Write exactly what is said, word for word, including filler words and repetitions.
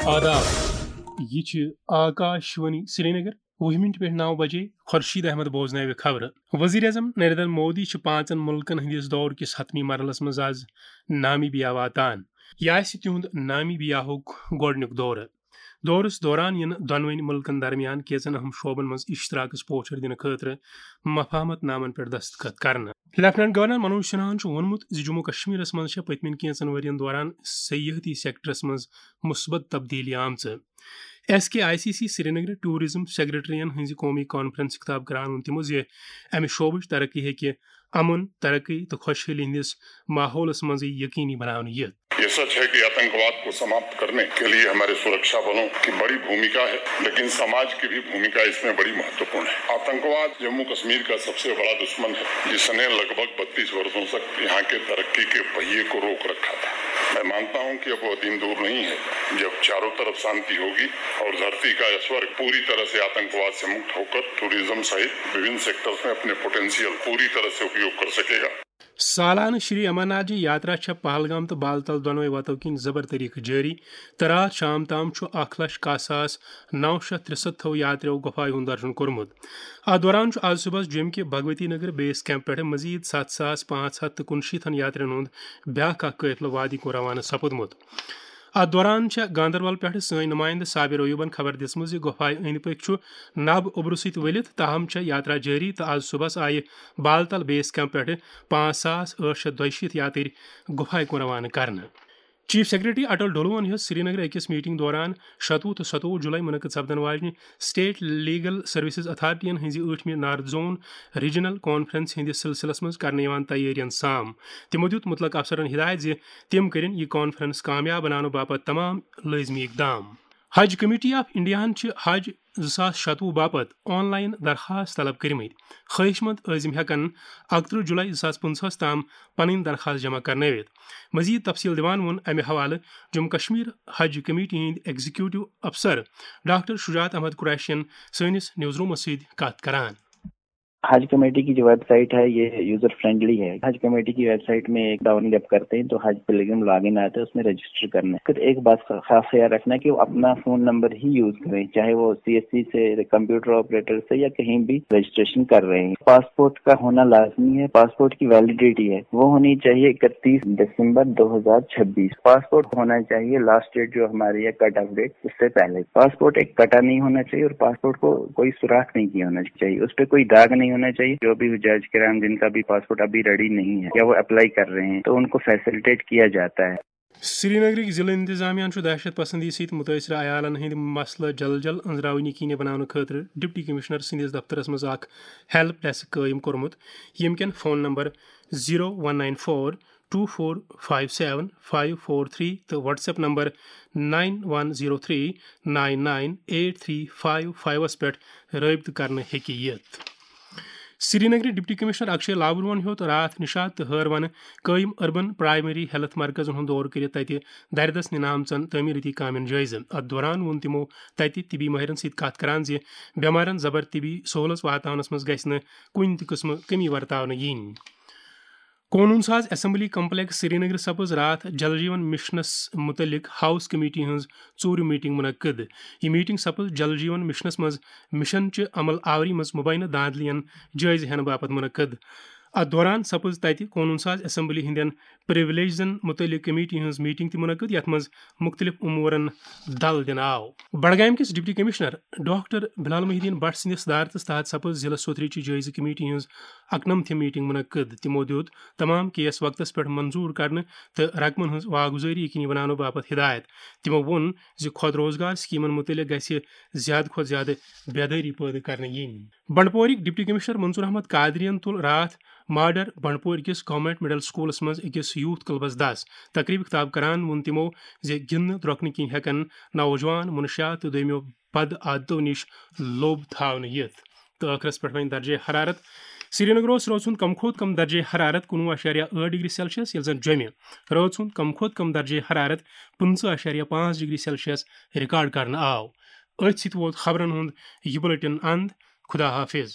آداب، یہِ چھِ آکاش وانی سرینگر۔ وُہہِ مِنٹہِ پٮ۪ٹھ نَو بجے خورشید احمد بوزناوِ خبرٕ۔ وزیر اعظم نریندر مودی چھِ پانٛژن مُلکن ہٕنٛدِس دورٕ کِس حتمی مرحلس منٛز آز نامیبیا واتان۔ یہِ آسہِ تِہُنٛد نامیبیاہُک گۄڈٕنیُک دورٕ۔ دورس دوران یِن دۄنوٕنۍ مُلکن درمیان کینٛژن اہم شعبن منٛز اشتراکس پوچھر دِنہٕ خٲطرٕ مفاہمت نامن پٮ۪ٹھ دستخط کرنہٕ۔ لیفٹیننٹ گورنر منوج سنہاہن چھُ ووٚنمُت زِ جموں کشمیرس منٛز چھےٚ پٔتمٮ۪ن کینٛژن ؤرین دوران سیاحتی سیکٹرس منٛز مثبت تبدیلی آمژٕ۔ S K I C C Srinagar tourism سیکرٹریَن ہٕنٛزِ قومی کانفرنس خطاب کران ووٚن تِمو زِ امہِ شعبٕچ ترقی ہیٚکہِ امن، ترقی تہٕ خۄشحٲلی ہٕنٛدِس ماحولس منٛزٕے یقینی بناونہٕ یِتھ۔ یہ سچ ہے کہ آتنکواد کو سماپت کرنے کے لیے ہمارے سرکشا بلوں کی بڑی بھومکا ہے، لیکن سماج کی بھی بھومکا اس میں بڑی مہتوپورن ہے۔ آتنکواد جموں کشمیر کا سب سے بڑا دشمن ہے، جس نے لگ بھگ بتیس برسوں تک یہاں کے ترقی کے پہیے کو روک رکھا تھا۔ میں مانتا ہوں کہ اب وہ دن دور نہیں ہے جب چاروں طرف شانتی ہوگی اور دھرتی کا یہ سورگ پوری طرح سے آتنکواد سے مکت ہوکر ٹورازم سہت وبھن سیکٹرز میں اپنے پوٹینشیل پوری طرح سے اپیوگ کر سکے گا۔ سالانہٕ شری امرناتھ جی یاترا چھےٚ پہلگام تہٕ بالتل دۄنوَے وتو کِنۍ زبر طریقہٕ جٲری تہٕ راتھ شام تام چھُ اکھ لچھ کاہ ساس نو شیتھ ترٛسَتتھو یاتریو گۄپھایہِ ہُنٛد درشن کوٚرمُت۔ اتھ دوران چھُ آز صُبحس جوٚمہِ کہِ بھگوتی نگر بیس کیمپ پٮ۪ٹھٕ مزید ستھ ساس پانٛژھ ہتھ تہٕ کُنشیٖتھن یاترین ہُنٛد بیٛاکھ اکھ قٲفلہٕ وادی کُن روانہٕ سپُدمُت۔ اتھ دوران چھےٚ گاندربل پٮ۪ٹھٕ سٲنۍ نُمایندٕ صابر ایوبن خبر دِژمٕژ زِ گۄپھایہِ أنٛدۍ پٔکۍ چھُ نب اوٚبرٕ سۭتۍ ؤلِتھ، تاہم چھےٚ یاترا جٲری تہٕ آز صُبحس آیہِ بالتل بیس کیمپ پٮ۪ٹھٕ پانٛژھ ساس ٲٹھ شیتھ دۄیہِ شیٖتھ یاترۍ گۄپھایہِ کُن روانہٕ کرنہٕ۔ چیف سیکرٹری اٹل ڈولون ہیوٚت سرینگرٕ أکِس میٹنگ دوران شتوُہ تہٕ ستووُہ جولائی منعقد سپدن واجنہِ اسٹیٹ لیگل سروسز اتھارٹین ہٕنٛزِ ٲٹھمہِ نارتھ زون ریجنل کانفرنس ہٕنٛدِس سلسلس منٛز کرنہٕ یِوان تیٲرین سام۔ تِمو دیُت مُتلق افسرن ہدایت زِ تِم کٔرِن یہِ کانفرنس کامیاب بناونہٕ باپتھ تمام لٲزمی اقدام۔ حج کمیٹی آف انڈیاہن چھِ حج زٕ ساس شتوُہ باپتھ آن لائن درخواست طلب کٔرمٕتۍ۔ خواہش مند عٲزم ہٮ۪کن اکترٕہ جولائی زٕ ساس پٕنٛژٕہس تام پنٕنۍ درخواست جمع کرنٲوِتھ۔ مزید تفصیل دِوان ووٚن امہِ حوالہٕ جموں کشمیر حج کمیٹی ہٕنٛدۍ ایگزیکیوٹو افسر ڈاکٹر شجاعت احمد قریشین سٲنِس نیوز رومس سۭتۍ کتھ کران۔ حج کمیٹی کی جو ویب سائٹ ہے، یہ یوزر فرینڈلی ہے۔ حج کمیٹی کی ویب سائٹ میں ایک ڈاؤن جب کرتے ہیں تو حج پلگرم لاگ ان آتا ہے، اس میں رجسٹر کرنا ہے۔ پھر ایک بات خاص خیال رکھنا کہ وہ اپنا فون نمبر ہی یوز کریں، چاہے وہ سی ایس سی سے، کمپیوٹر آپریٹر سے یا کہیں بھی رجسٹریشن کر رہے ہیں۔ پاسپورٹ کا ہونا لازمی ہے، پاسپورٹ کی ویلیڈیٹی ہے وہ ہونی چاہیے اکتیس دسمبر دو ہزار چھبیس۔ پاسپورٹ ہونا چاہیے لاسٹ ڈیٹ جو ہماری ہے کٹ آف ڈیٹ، اس سے پہلے۔ پاسپورٹ ایک کٹا نہیں ہونا چاہیے اور پاسپورٹ کو کوئی سوراخ نہیں کیا ہونا چاہیے، اس پہ کوئی داغ نہیں ہونا چاہیے۔ جو بھی حجاج کرام جن کا بھی پاسپورٹ ابھی ریڈی نہیں ہے یا وہ اپلائی کر رہے ہیں تو ان کو فیسلٹیٹ کیا جاتا ہے۔ سرینگرٕکۍ ضلعہٕ انتظامیہ چھُ دہشت پسندی سۭتۍ مُتٲثرٕ عیالن ہٕنٛدۍ مسلہٕ جل جل أنٛزراونہٕ کِنہِ بناونہٕ خٲطرٕ ڈپٹی کمشنر سٕنٛدِس دفترس منٛز اکھ ہیلپ ڈیسک قٲیِم کوٚرمُت، ییٚمہِ کٮ۪ن phone number zero one nine four two four five seven five four three تہٕ WhatsApp number nine one zero three nine nine eight three five فایوس پٮ۪ٹھ رٲبطہٕ کرنہٕ ہیٚکہِ یِتھ۔ سرینگرٕ ڈپٹی کمشنر اکشے لابروہن ہیوٚت راتھ نشاط تہٕ ہٲروَنہٕ قٲیِم اربن پرائمری ہیلتھ مرکزن ہُنٛد دورٕ کٔرِتھ تَتہِ دردس نِنہٕ آمژن تعمیٖرٲتی کامٮ۪ن جٲیزٕ۔ اتھ دوران ووٚن تِمو تَتہِ طبی مٲہرن سۭتۍ کتھ کران زِ بٮ۪مارن زبر طبی سہولژ واتناونس منٛز گژھِ نہٕ کُنہِ تہِ قٕسمہٕ کٔمی ورتاونہٕ یِنۍ۔ قونوٗن ساز اسمبلی کمپلیکس سرینگرٕ سپٕز راتھ جل جیون مشنس متعلق ہاؤس کمیٹی ہٕنٛز ژوٗرِم میٹنگ منعقد۔ یہِ میٹنگ سپٕز جل جیون مشنس منٛز مشن چہِ عمل آوری منٛز مبینہ دھاندلیَن جٲیزٕ ہٮ۪نہٕ باپتھ منعقد۔ اتھ دوران سپٕز تتہِ قونوٗن ساز اسمبلی ہٕنٛدٮ۪ن پریولیجزن متعلق کمیٹی ہٕنٛز میٹنگ تہِ منعقد، یتھ منٛز مُختٔلِف امورن دل دِنہٕ آو۔ بڈگامہِ کِس ڈپٹی کمشنر ڈاکٹر بلال محی الدین بٹ سٕنٛدِس صدارتس تحت سپٕز ضلع سوتھرٕچہِ جٲیزٕ کمیٹی ہٕنٛز اکنمتھِم میٹنگ منعقد۔ تِمو دیُت تمام کیس وقتس پٮ۪ٹھ منظور کرنہٕ تہٕ رقمن ہٕنٛز واگزٲری یقینی بناونہٕ باپتھ ہدایت۔ تِمو ووٚن زِ خود روزگار سکیمن متعلق گژھِ زیادٕ کھۄتہٕ زیادٕ بیدٲری پٲدٕ کرنہٕ یِنۍ۔ بنڈپورٕکۍ ڈپٹی کمشنر منظور احمد قادریَن تُل راتھ ماڈر بنڈپور کِس گورنمنٹ مڈل سکولس منٛز أکِس یوتھ کلبس دس۔ تقریبہِ خطاب کران ووٚن تِمو زِ گِنٛدنہٕ درۄکنہٕ کِنۍ ہٮ۪کن نوجوان منشیات تہٕ دوٚیمیو بد عادتو نِش لوٚب تھاونہٕ یِتھ۔ تہٕ ٲخرس پٮ۪ٹھ وۄنۍ درجے حرارت۔ سرینگر اوس رٲژ ہُنٛد کم کھۄتہٕ کم درجے حرارت کُنوُہ اَشاریہ ٲٹھ ڈگری سیلسیس، ییٚلہِ زن جوٚمہِ رٲژ ہُنٛد کم کھۄتہٕ کم درجے حرارت پٕنٛژٕہ اَشاریہ پانٛژھ ڈگری سیلسیس ریکارڈ کرنہٕ آو۔ أتھۍ سۭتۍ ووت خبرن ہُنٛد یہِ بُلٹن اند۔ خدا حافظ۔